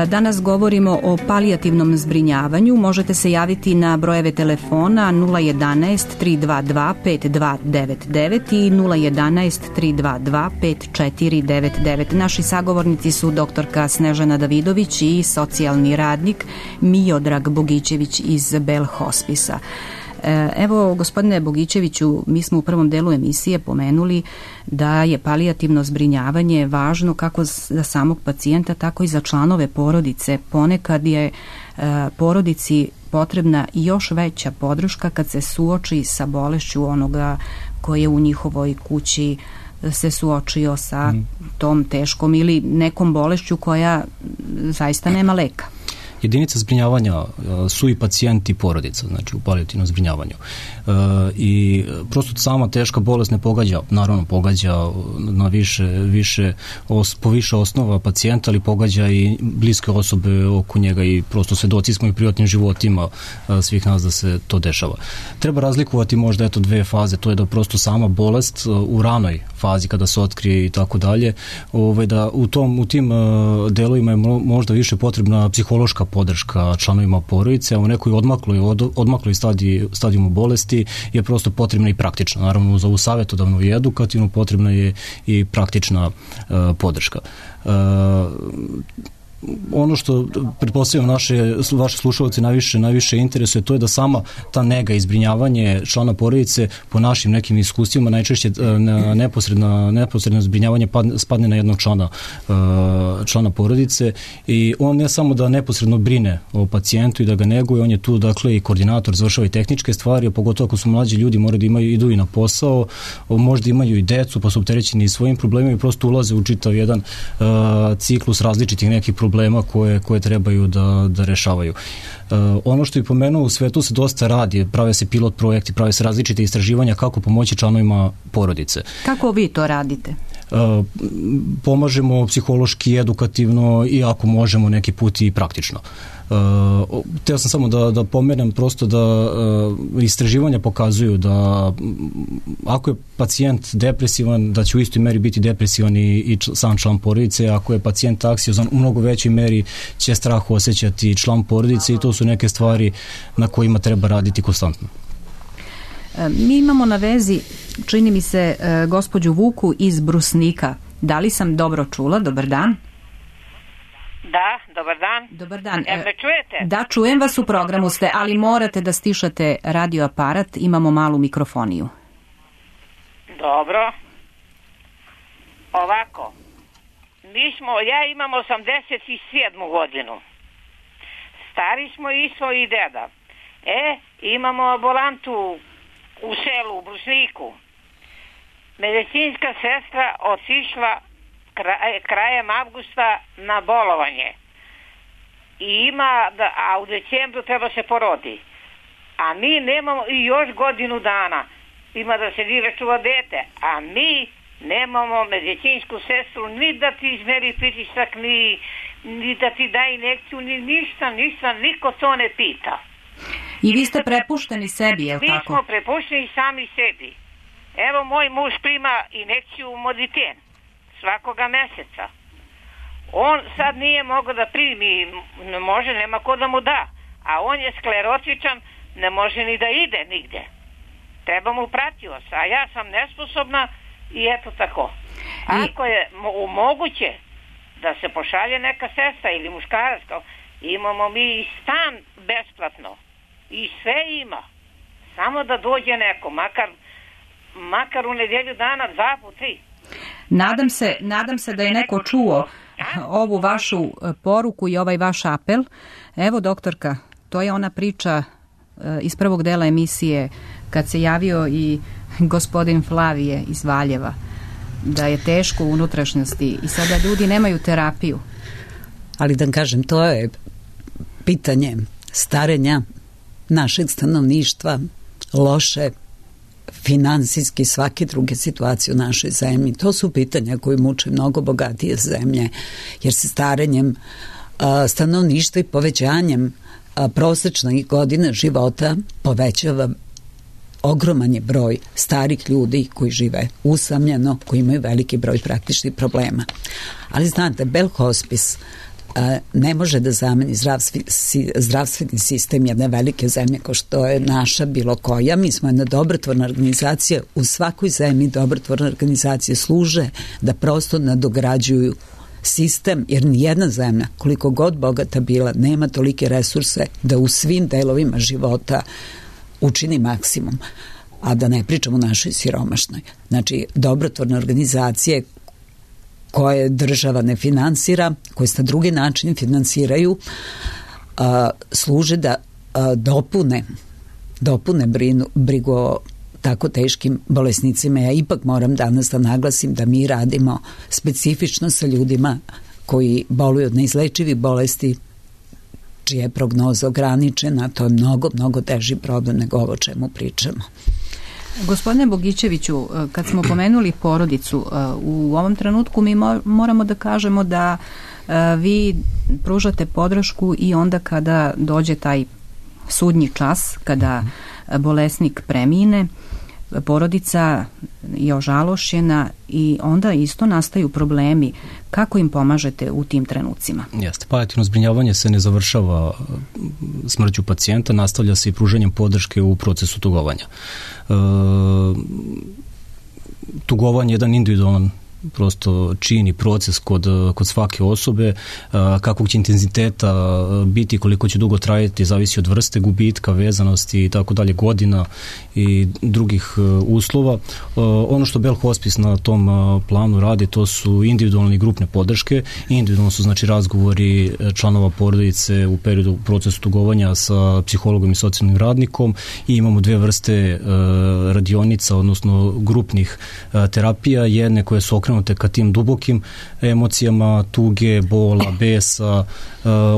danas govorimo o palijativnom zbrinjavanju. Možete se javiti na brojeve telefona 011 322 5299 i 011 322 5499. Naši sagovornici su doktorka Snežana Davidović i socijalni radnik Miodrag Bogićević iz Bell Hospisa. Evo, gospodine Bogićeviću, mi smo u prvom delu emisije pomenuli da je palijativno zbrinjavanje važno kako za samog pacijenta, tako i za članove porodice. Ponekad je porodici potrebna još veća podrška kad se suoči sa bolešću onoga koji je u njihovoj kući se suočio sa tom teškom ili nekom bolešću koja zaista nema leka. Jedinica zbrinjavanja su i pacijenti i porodica, znači u palijativnom zbrinjavanju. I prosto sama teška bolest ne pogađa, naravno pogađa na po više osnova pacijenta, ali pogađa i bliske osobe oko njega i prosto svedoci smo i privatnim životima svih nas da se to dešava. Treba razlikovati možda dve faze, to je da prosto sama bolest u ranoj fazi kada se otkrije i tako dalje, da u tim delovima je možda više potrebna psihološka podrška članovima porodice, a u nekoj odmakloj stadijumu bolesti je prosto potrebna i praktična. Naravno, za ovu savjetodavnu i edukativnu potrebna je i praktična podrška. Ono što pretpostavljam vaše slušalci najviše interesuje, to je da sama ta nega i zbrinjavanje člana porodice po našim nekim iskustvima najčešće neposredno zbrinjavanje spadne na jednog člana porodice i on ne samo da neposredno brine o pacijentu i da ga neguje, on je tu dakle i koordinator, završava i tehničke stvari, a pogotovo ako su mlađi ljudi moraju da idu i na posao, možda imaju i decu pa su opterećeni svojim problemima i prosto ulaze u čitav jedan ciklus različitih nekih problema koje trebaju da rešavaju. Ono što je pomenuo, u svetu se dosta radi, prave se pilot projekti, prave se različite istraživanja kako pomoći članovima porodice. Kako vi to radite? Pomažemo psihološki, edukativno i ako možemo neki put i praktično. Teo sam samo da pomenem prosto da istraživanja pokazuju da ako je pacijent depresivan, da će u istoj meri biti depresivan i sam član porodice, ako je pacijent anksiozan, u mnogo većoj meri će strah osjećati član porodice i to su neke stvari na kojima treba raditi konstantno. Mi imamo na vezi, čini mi se, gospođu Vuku iz Brusnika. Da li sam dobro čula? Dobar dan. Da, dobar dan. Dobar dan. Jel me čujete? Da, čujem vas, u programu ste, ali morate da stišate radioaparat, imamo malu mikrofoniju. Dobro. Ovako, ja imam 87. godinu. Stari smo isto i deda. Imamo ambulantu u selu, u Brusniku. Medicinska sestra otišla krajem avgusta na bolovanje. A u decembru treba se porodi. A mi nemamo i još godinu dana. Ima da se dive čuva dete. A mi nemamo medicinsku sestru ni da ti izmeri pritisak, ni da ti da injekciju, ni ništa, niko to ne pita. I vi ste prepušteni sebi, je li tako? Mi smo prepušteni sami sebi. Evo, moj muž prima injekciju Moditen svakoga meseca. On sad nije mogao da primi, ne može, nema ko da mu da. A on je sklerotičan, ne može ni da ide nigde. Treba mu pratioc, a ja sam nesposobna i eto tako. Ako je moguće da se pošalje neka sestra ili muškarac, imamo mi i stan besplatno. I sve ima. Samo da dođe neko, makar u nedelju dana, 2 po 3. Nadam se da je neko čuo ovu vašu poruku i ovaj vaš apel. Evo, doktorka, to je ona priča iz prvog dela emisije kad se javio i gospodin Flavije iz Valjeva, da je teško u unutrašnjosti i sada ljudi nemaju terapiju. Ali da kažem, to je pitanje starenja našeg stanovništva, loše finansijski svake druge situacije u našoj zemlji. To su pitanja koje muče mnogo bogatije zemlje, jer se starenjem stanovništva i povećanjem prosečnih godina života povećava ogroman je broj starih ljudi koji žive usamljeno, koji imaju veliki broj praktičnih problema. Ali znate, Bell Hospice ne može da zameni zdravstveni sistem jedne velike zemlje kao što je naša bilo koja. Mi smo jedna dobrotvorna organizacija. U svakoj zemlji dobrotvorne organizacije služe da prosto nadograđuju sistem, jer nijedna zemlja, koliko god bogata bila, nema tolike resurse da u svim delovima života učini maksimum, a da ne pričamo o našoj siromašnoj. Znači, dobrotvorne organizacije koje država ne finansira, koje se na drugi način finansiraju, služe da dopune brigu o tako teškim bolesnicima. Ja ipak moram danas da naglasim da mi radimo specifično sa ljudima koji boluju od neizlečivih bolesti, čija je prognoza ograničena. To je mnogo, mnogo teži problem nego ovo o čemu pričamo. Gospodine Bogićeviću, kad smo pomenuli porodicu, u ovom trenutku mi moramo da kažemo da vi pružate podršku i onda kada dođe taj sudnji čas, kada bolesnik premine, porodica je ožalošćena i onda isto nastaju problemi. Kako im pomažete u tim trenucima? Jeste, palijativno zbrinjavanje se ne završava smrću pacijenta, nastavlja se i pruženjem podrške u procesu tugovanja. Tugovanje je jedan individualan prosto čin i proces kod svake osobe, kakvog će intenziteta biti, koliko će dugo trajati, zavisi od vrste gubitka, vezanosti i tako dalje, godina i drugih uslova. Ono što Bell Hospice na tom planu radi, to su individualne i grupne podrške. Individualno su znači razgovori članova porodice u periodu procesu tugovanja sa psihologom i socijalnim radnikom i imamo dve vrste radionica, odnosno grupnih terapija, jedne koje su okrenute ka tim dubokim emocijama, tuge, bola, besa,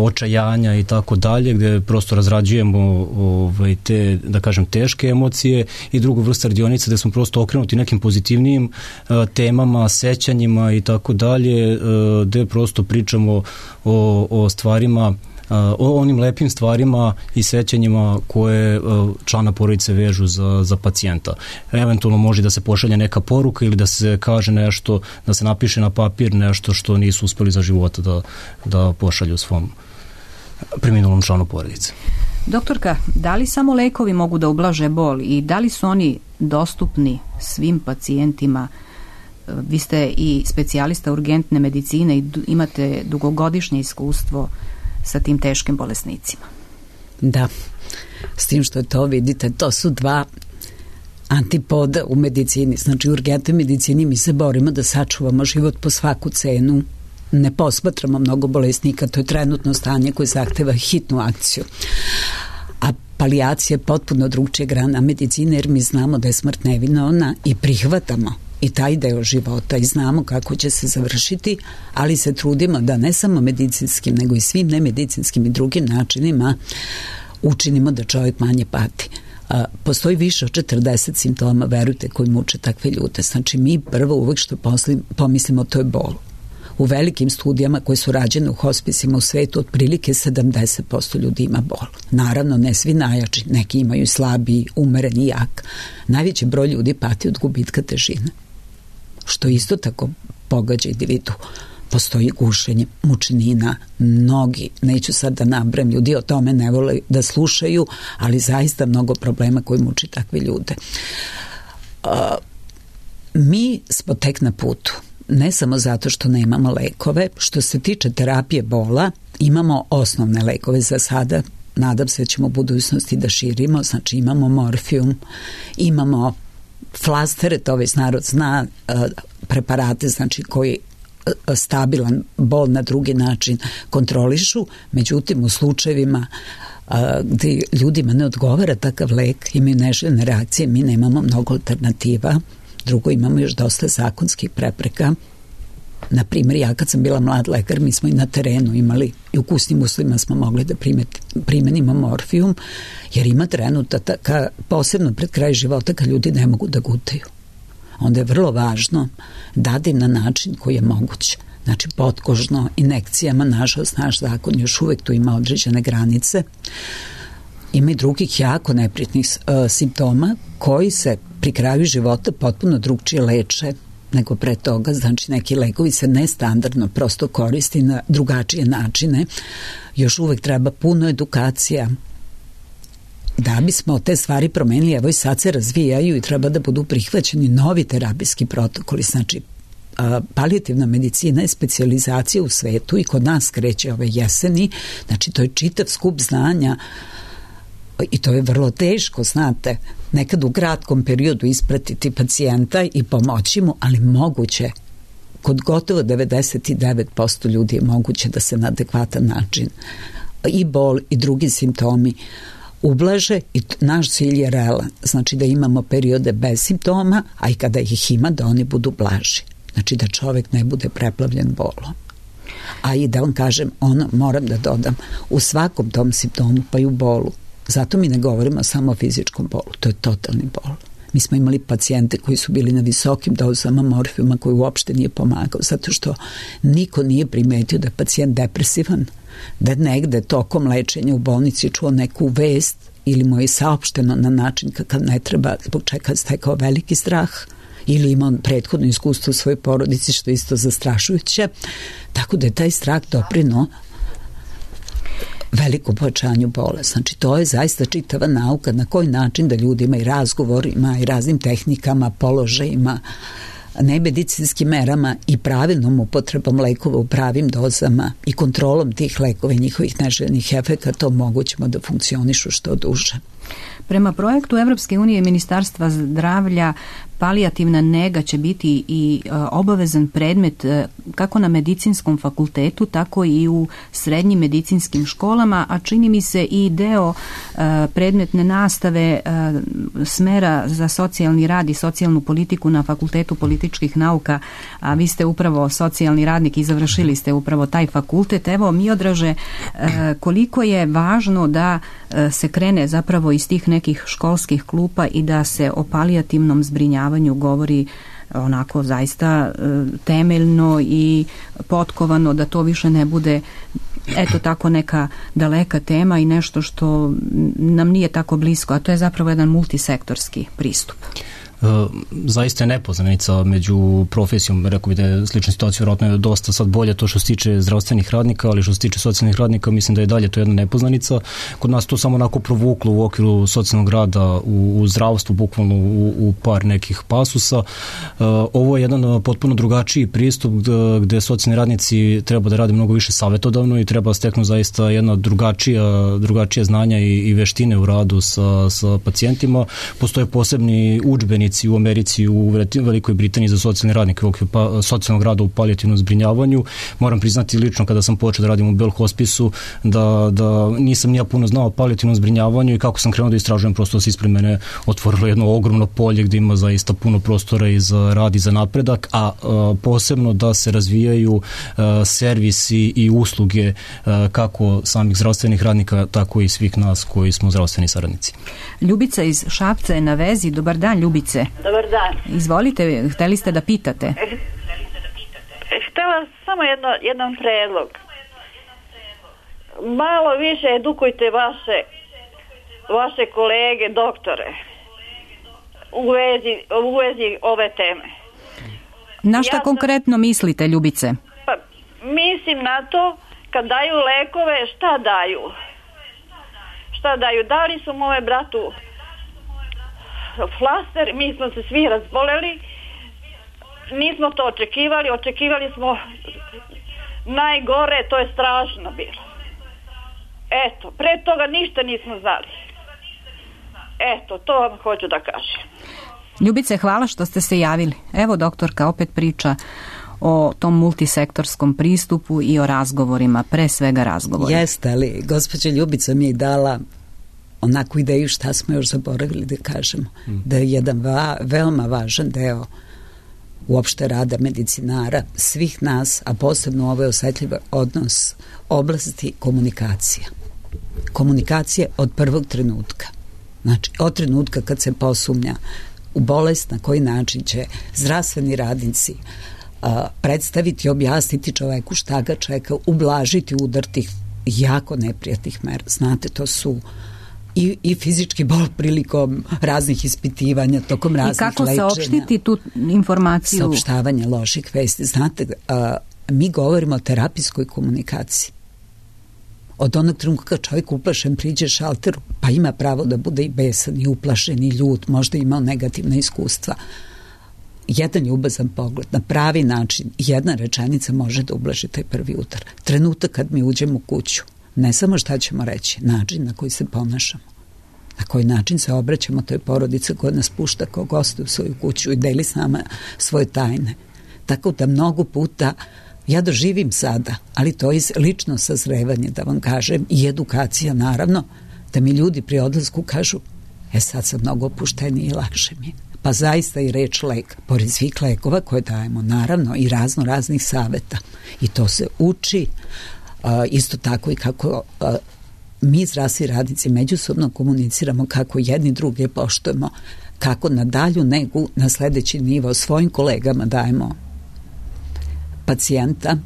očajanja i tako dalje, gde prosto razrađujemo te, da kažem, teške emocije, i drugu vrstu radionica gde smo prosto okrenuti nekim pozitivnijim temama, sećanjima i tako dalje, gde prosto pričamo o stvarima, o onim lepim stvarima i sećanjima koje člana porodice vežu za pacijenta. Eventualno može da se pošalje neka poruka ili da se kaže nešto, da se napiše na papir nešto što nisu uspeli za života da pošalju svom preminulom članu porodice. Doktorka, da li samo lekovi mogu da ublaže bol i da li su oni dostupni svim pacijentima? Vi ste i specijalista urgentne medicine i imate dugogodišnje iskustvo sa tim teškim bolesnicima. Da, s tim što to vidite, to su dva antipoda u medicini. Znači, u urgentnoj medicini mi se borimo da sačuvamo život po svaku cenu. Ne posmatramo mnogo bolesnika, to je trenutno stanje koje zahteva hitnu akciju. A palijacija je potpuno drugčija grana medicine, jer mi znamo da je smrt nevinovna i prihvatamo i taj deo života i znamo kako će se završiti, ali se trudimo da ne samo medicinskim, nego i svim nemedicinskim i drugim načinima učinimo da čovjek manje pati. Postoji više od 40 simptoma, verujte, koji muče takve ljude. Znači, mi prvo uvek što pomislimo, to je bol. U velikim studijama koje su rađene u hospisima u svetu, otprilike 70% ljudi ima bol. Naravno, ne svi najjači, neki imaju slabiji, umereni, jak. Najveći broj ljudi pati od gubitka težine, što isto tako pogađa individu. Postoji gušenje, mučenina, mnogi, neću sad da nabrem, ljudi o tome ne vole da slušaju, ali zaista mnogo problema koji muči takve ljude. Mi smo tek na putu, ne samo zato što nemamo lekove. Što se tiče terapije bola, imamo osnovne lekove za sada, nadam se da ćemo u budućnosti da širimo, znači imamo morfijum, imamo flastere, to već narod zna, preparate, znači koji stabilan bol na drugi način kontrolišu. Međutim, u slučajevima gdje ljudima ne odgovara takav lek, imaju neželjene reakcije, mi nemamo mnogo alternativa. Drugo, imamo još dosta zakonskih prepreka. Na primjer, ja kad sam bila mlad lekar, mi smo i na terenu imali, i u kućnim uslovima smo mogli da primenimo morfijum, jer ima trenutaka, posebno pred kraj života, kad ljudi ne mogu da gutaju. Onda je vrlo važno dati na način koji je moguć. Znači, potkožno, injekcijama, nažalost, naš zakon još uvek tu ima određene granice. ima i drugih jako neprijatnih simptoma koji se pri kraju života potpuno drugčije leče nego pre toga, znači neki lekovi se nestandardno prosto koristi na drugačije načine. Još uvek treba puno edukacija da bismo te stvari promenili. Evo i sad se razvijaju i treba da budu prihvaćeni novi terapijski protokoli, znači palijativna medicina je specijalizacija u svetu i kod nas kreće ove jeseni, znači to je čitav skup znanja i to je vrlo teško, znate, nekad u kratkom periodu ispratiti pacijenta i pomoći mu, ali moguće, kod gotovo 99% ljudi je moguće da se na adekvatan način i bol i drugi simptomi ublaže i naš cilj je realan, znači da imamo periode bez simptoma, a i kada ih ima da oni budu blaži, znači da čovek ne bude preplavljen bolom. A i da vam kažem, moram da dodam, u svakom tom simptomu pa i u bolu, zato mi ne govorimo samo o fizičkom bolu, to je totalni bol. Mi smo imali pacijente koji su bili na visokim dozama morfijuma koji uopšte nije pomagao, zato što niko nije primetio da je pacijent depresivan, da negde tokom lečenja u bolnici čuo neku vest ili mu je saopšteno na način kakav ne treba, zbog čega je stekao veliki strah ili ima on prethodno iskustvo u svojoj porodici, što je isto zastrašujuće. Tako da je taj strah doprineo veliko povećanju bolesti. Znači, to je zaista čitava nauka na koji način da ljudima i razgovorima i raznim tehnikama, položajima, nemedicinskim merama i pravilnom upotrebom lekova u pravim dozama i kontrolom tih lekova i njihovih neželjenih efekata omogućimo da funkcionišu što duže. Prema projektu Evropske unije i Ministarstva zdravlja palijativna nega će biti i obavezan predmet kako na medicinskom fakultetu, tako i u srednjim medicinskim školama, a čini mi se i deo predmetne nastave smera za socijalni rad i socijalnu politiku na Fakultetu političkih nauka, a vi ste upravo socijalni radnik i završili ste upravo taj fakultet. Evo, Miodraže, koliko je važno da se krene zapravo iz tih nekih školskih klupa i da se o palijativnom zbrinjavanju govori onako zaista temeljno i potkovano, da to više ne bude eto tako neka daleka tema i nešto što nam nije tako blisko, a to je zapravo jedan multisektorski pristup. Zaista je nepoznanica među profesijom, rekao bih da je slična situacija, vjerojatno je dosta sad bolje to što se tiče zdravstvenih radnika, ali što se tiče socijalnih radnika mislim da je dalje to jedna nepoznanica. Kod nas to samo onako provuklo u okviru socijalnog rada u zdravstvu, bukvalno u par nekih pasusa. Ovo je jedan potpuno drugačiji pristup gde socijalni radnici treba da rade mnogo više savjetodavno i treba steknu zaista jedna drugačija znanja i veštine u radu sa pacijentima. Postoje posebni udžbenici u Americi, u Velikoj Britaniji za socijalne radnike u okviru socijalnog rada u palijativnom zbrinjavanju. Moram priznati lično kada sam počeo da radim u Bell Hospisu da nisam nija puno znao o palijativnom zbrinjavanju i kako sam krenuo da istražujem, prosto se ispred mene otvorilo jedno ogromno polje gde ima zaista puno prostora i za rad i za napredak, a posebno da se razvijaju servisi i usluge kako samih zdravstvenih radnika, tako i svih nas koji smo zdravstveni saradnici. Ljubica iz Šapca je na vezi. Dobar dan, Ljubice. Dobar dan. Izvolite, hteli ste da pitate. Htela samo jedan predlog. Malo više edukujte vaše kolege, doktore, u vezi ove teme. Na šta konkretno mislite, Ljubice? Pa, mislim na to, kad daju lekove, šta daju? Dali su moje bratu flaster, mi smo se svi razboleli, nismo to očekivali smo najgore, to je strašno bilo. Eto, pre toga ništa nismo znali. Eto, to vam hoću da kažem. Ljubice, hvala što ste se javili. Evo, doktorka opet priča o tom multisektorskom pristupu i o razgovorima, pre svega razgovorima. Jeste, ali gospođa Ljubica mi je dala onakvu ideju šta smo još zaboravili da kažemo. Da je jedan veoma važan deo uopšte rada medicinara, svih nas, a posebno ovaj osetljiv odnos oblasti komunikacija. Komunikacije od prvog trenutka. Znači, od trenutka kad se posumnja u bolest, na koji način će zdravstveni radnici predstaviti, objasniti čoveku šta ga čeka, ublažiti udar tih jako neprijatnih mera. Znate, to su i fizički bol prilikom raznih ispitivanja, tokom raznih lečenja. I kako saopštiti tu informaciju? Saopštavanje loših vesti. Znate, mi govorimo o terapijskoj komunikaciji. Od onog trenutka kad čovjek uplašen priđe šalteru, pa ima pravo da bude i besan, i uplašen, i ljut, možda imao negativna iskustva. Jedan ljubazan pogled, na pravi način, jedna rečenica može da ublaži taj prvi udar. Trenutak kad mi uđemo u kuću, ne samo šta ćemo reći, način na koji se ponašamo, na koji način se obraćamo toj porodici koja nas pušta kao goste u svoju kuću i deli s nama svoje tajne. Tako da mnogo puta ja doživim sada, ali to je lično sazrevanje, da vam kažem, i edukacija naravno, da mi ljudi pri odlasku kažu, sad sam mnogo opušteniji i lakše mi. Pa zaista i reč lek, pored svih lekova koje dajemo, naravno i raznih saveta. I to se uči, isto tako i kako mi zdravstveni radnici međusobno komuniciramo, kako jedni druge poštujemo, kako na dalju negu, na sledeći nivo svojim kolegama dajemo pacijenta,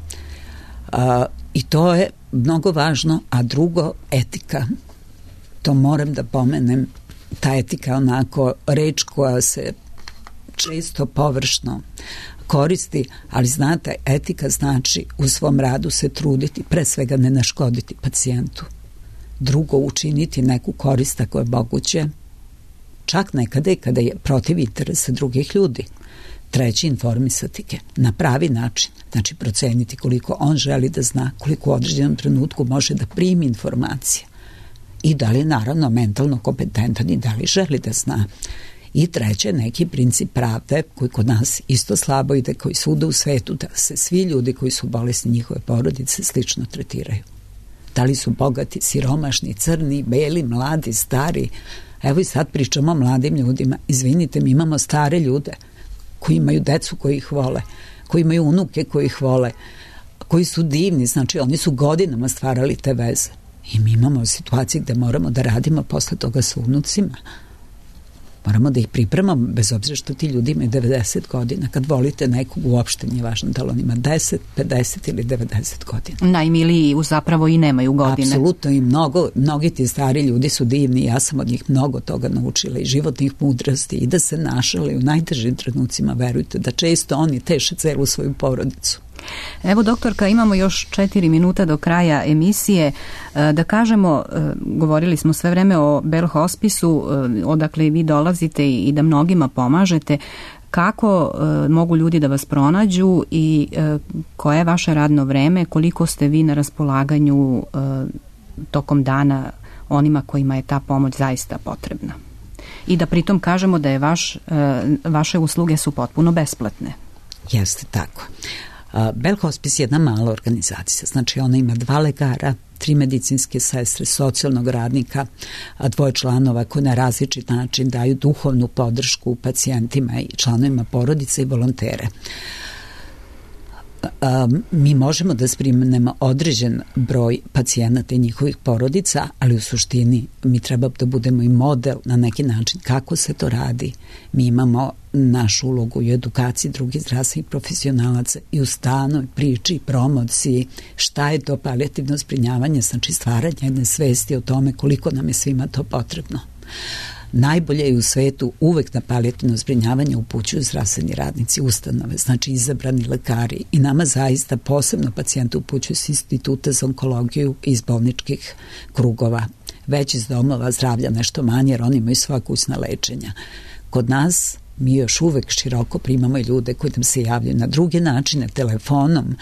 i to je mnogo važno. A drugo, etika. To moram da pomenem, ta etika onako reč koja se često površno koristi, ali znate, etika znači u svom radu se truditi, pre svega ne naškoditi pacijentu, drugo učiniti neku korist ako je moguće, čak nekada i kada je protiv interesa drugih ljudi, treći informisati ga na pravi način, znači proceniti koliko on želi da zna, koliko u određenom trenutku može da primi informacije i da li je naravno mentalno kompetentan i da li želi da zna. I treće, neki princip pravde koji kod nas isto slabo ide, koji svuda u svetu, da se svi ljudi koji su bolesni, njihove porodice, slično tretiraju. Da li su bogati, siromašni, crni, beli, mladi, stari. Evo i sad pričamo o mladim ljudima. Izvinite, mi imamo stare ljude koji imaju decu koji ih vole, koji imaju unuke koji ih vole, koji su divni, znači oni su godinama stvarali te veze. I mi imamo situacije gde moramo da radimo posle toga sa unucima. Moramo da ih pripremamo, bez obzira što ti ljudi imaju 90 godina. Kad volite nekog, uopšte nije važno da li on ima 10, 50 ili 90 godina. Najmiliji zapravo i nemaju godine. Apsolutno, i mnogi ti stari ljudi su divni. Ja sam od njih mnogo toga naučila, i životnih mudrosti, i da se našale u najtežim trenucima, verujte, da često oni teše celu svoju porodicu. Evo, doktorka, imamo još 4 minuta do kraja emisije. Da kažemo, govorili smo sve vreme o Bell Hospisu, odakle vi dolazite i da mnogima pomažete. Kako mogu ljudi da vas pronađu i koje je vaše radno vreme, koliko ste vi na raspolaganju tokom dana onima kojima je ta pomoć zaista potrebna? I da pritom kažemo da je vaše usluge su potpuno besplatne. Jeste tako. Bell Hospice je jedna mala organizacija, znači ona ima 2 lekara, 3 medicinske sestre, socijalnog radnika, 2 članova koji na različit način daju duhovnu podršku pacijentima i članovima porodice i volontere. Mi možemo da primimo određen broj pacijenata i njihovih porodica, ali u suštini mi treba da budemo i model na neki način kako se to radi. Mi imamo našu ulogu i edukaciji drugih zdravstvenih profesionalaca i u stanoj priči, promociji, šta je to palijativno zbrinjavanje, znači stvaranje jedne svesti o tome koliko nam je svima to potrebno. Najbolje je u svetu uvek na palijativno zbrinjavanje upućuju zdravstveni radnici, ustanove, znači izabrani lekari, i nama zaista posebno pacijente upućuju s instituta za onkologiju iz bolničkih krugova, već iz domova zdravlja nešto manje, jer oni imaju svoja kućna lečenja. Kod nas mi još uvek široko primamo i ljude koji nam se javljaju na druge načine, telefonom,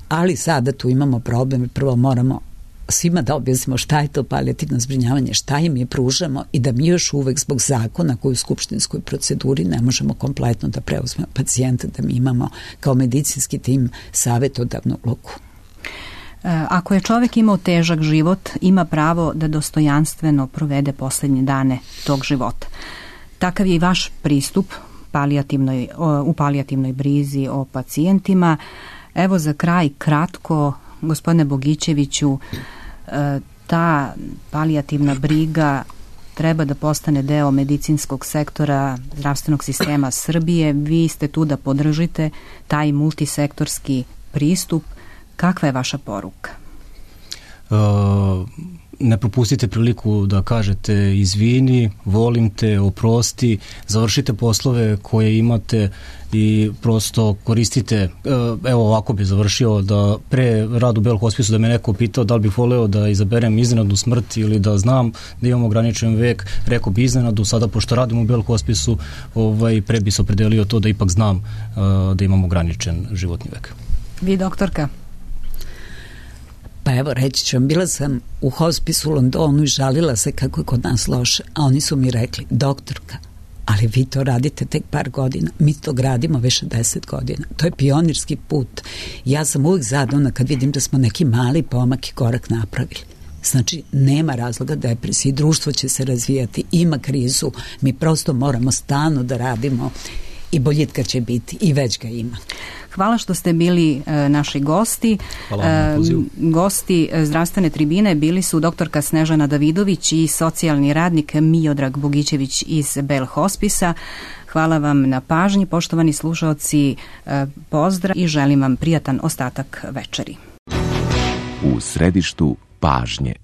ali sada tu imamo problem i prvo moramo svima da objasnimo šta je to palijativno zbrinjavanje, šta im je pružamo, i da mi još uvek zbog zakona koji u skupštinskoj proceduri ne možemo kompletno da preuzmemo pacijenta, da mi imamo kao medicinski tim savetodavnu ulogu. Ako je čovek imao težak život, ima pravo da dostojanstveno provede poslednje dane tog života. Takav je i vaš pristup u palijativnoj brizi o pacijentima. Evo za kraj kratko, gospodine Bogićeviću, ta palijativna briga treba da postane deo medicinskog sektora zdravstvenog sistema Srbije. Vi ste tu da podržite taj multisektorski pristup. Kakva je vaša poruka? ne propustite priliku da kažete izvini, volim te, oprosti, završite poslove koje imate i prosto koristite, evo ovako bi završio, da pre radu u Bel Hospisu da me neko pitao da li bih voleo da izaberem iznenadnu smrt ili da znam da imam ograničen vek, rekao bi iznenadu. Sada pošto radim u Bel Hospisu, pre bi se opredelio to da ipak znam da imam ograničen životni vek. Vi, doktorka? Pa evo, reći ću vam, bila sam u hospisu u Londonu i žalila se kako je kod nas loše, a oni su mi rekli, doktorka, ali vi to radite tek par godina, mi to gradimo već 10 godina. To je pionirski put. Ja sam uvijek zadovoljna kad vidim da smo neki mali pomak i korak napravili. Znači, nema razloga depresije, društvo će se razvijati, ima krizu, mi prosto moramo stalno da radimo i boljitka će biti i već ga ima. Hvala što ste bili naši gosti. Gosti zdravstvene tribine bili su doktorka Snežana Davidović i socijalni radnik Miodrag Bogićević iz Bel Hospisa. Hvala vam na pažnji, poštovani slušaoci, pozdrav i želim vam prijatan ostatak večeri. U središtu pažnje.